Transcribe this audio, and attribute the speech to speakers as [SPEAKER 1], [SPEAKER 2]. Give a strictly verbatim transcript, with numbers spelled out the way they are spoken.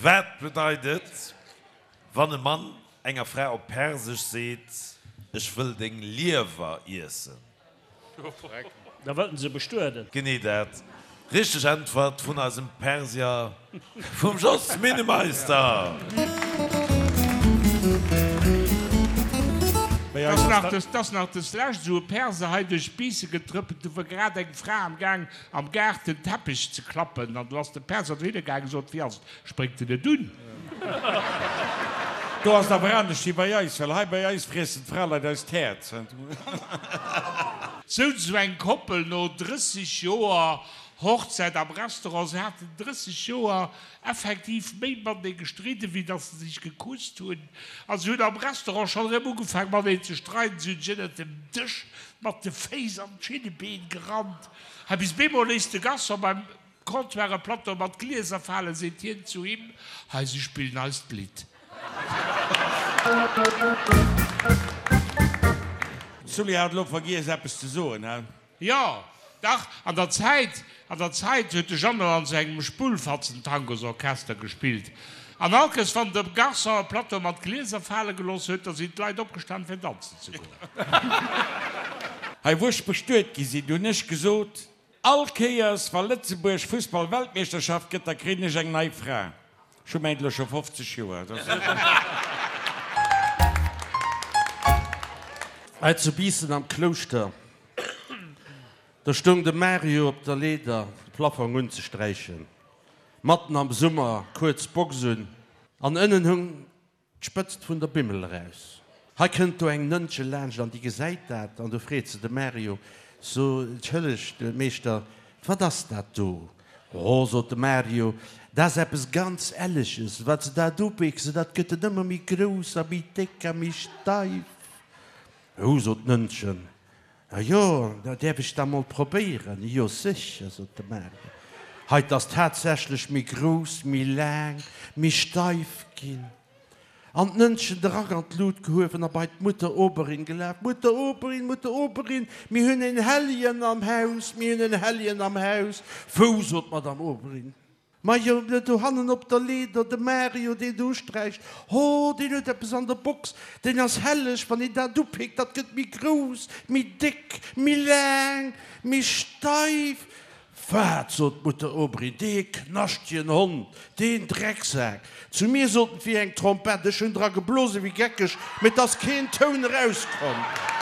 [SPEAKER 1] Wat bedeit et, wann e Mann enger Fra op Persesch seet, Ech wëll deng Liewer iessen?
[SPEAKER 2] Da wëllt en se bestueden.
[SPEAKER 1] Genee dat. Richteg Äntwert vun eisem Persier, vum Jos Minnemeister!
[SPEAKER 3] 't ass nach deslescht esou e Perser hei duerch d'Biisse getrëppelt, do wor grad eng Fra am Gaang am Gaart den Teppech ze klappen an do ass de Perser dohinner gaangen, sot, Wéi ass et, spréngt en net un?
[SPEAKER 4] Do ass et awer anescht wéi bei eis, well hei bei eis friessen d'Fraleit eis d'Häerz.
[SPEAKER 3] Souz esou eng Koppel no drësseg Joer Hochzäit am Restaurant. Se haten drësseg Joer effektiv méi matenee gestridden, wéi datt se sech gekusst hunn. A se hunn am Restaurant schonn erëm ugefaang mateneen ze streiden. Se hunn sech ënnert dem Dësch mat de Féiss an d'Schinnebeen gerannt. Hei bis bemol léisst de Garçon beim Comptoir e Plateau mat Glieser falen, seet hien zu him, Hei, se spillen eist Lidd.
[SPEAKER 4] Sully hat elo vergiess eppes ze soen, he?
[SPEAKER 3] Jo, dach, an der Zäit, an der Zäit huet de Jeannot an sou engem Spullfatzen-Tangosorchester gespillt. An all Kéiers, wann de Garçon e Plateau mat Glieser fale gelooss huet, da sinn d'Leit opgestan fir danzen ze goen.
[SPEAKER 4] Hei wou ech bestuet gi sinn, hunn ech gesot, All Kéiers wa Lëtzebuerg Fussball-Weltmeeschterschaft gëtt, da kréien ech eng nei Fra. Ech hu mäint elo scho fofzeg Joer.
[SPEAKER 5] Hei zu Biissen am Klouschter, do stoung de Mario op der Leeder, de Plafong unzesträichen. Matten am Summer, kuerz Box un, an ënnen hung d'Spëtzt vun der Bimmel eraus. Hei kënnt do eng Nënnche laanscht an déi gesäit dat an du freet se de Mario, So, entschëllegt, Meeschter, wat ass dat do? Oh, sot de Mario, dat ass eppes ganz Elleges, wat se dat upickse, dat gëtt en ëmmer méi grouss a méi déck a méi steif. Oh, sot d'Nënnchen, A jo, da däerf ech da mol probéieren? Jo, sécher, sot de Mario. Hei, 't ass tatsächlech méi grouss, méi laang, méi steif ginn. An d'Nënnchen de Rack an d'Lut gehuewen a bei d'Mutter Oberin gelaf, Mutter Oberin, Mutter Oberin, mir hunn en Helljen am Haus, mir hunn en Helljen am Haus. Wou? sot d'Madame Oberin. Majo, dohannen op der Leeder, de Mario, deen do usträicht. Ho, deen huet eppes an der Box, deen ass helleg, wann een dat upéckt, dat gëtt méi grouss, méi déck, méi laang, méi steif. Wat? sot d'Mutter Aubry, dee knaschtegen Hond, deen Drecksak! Zu mir sot en, 't wier eng Trompett. Ech hunn dra geblose wéi geckeg, mee 't ass keen Toun erauskomm.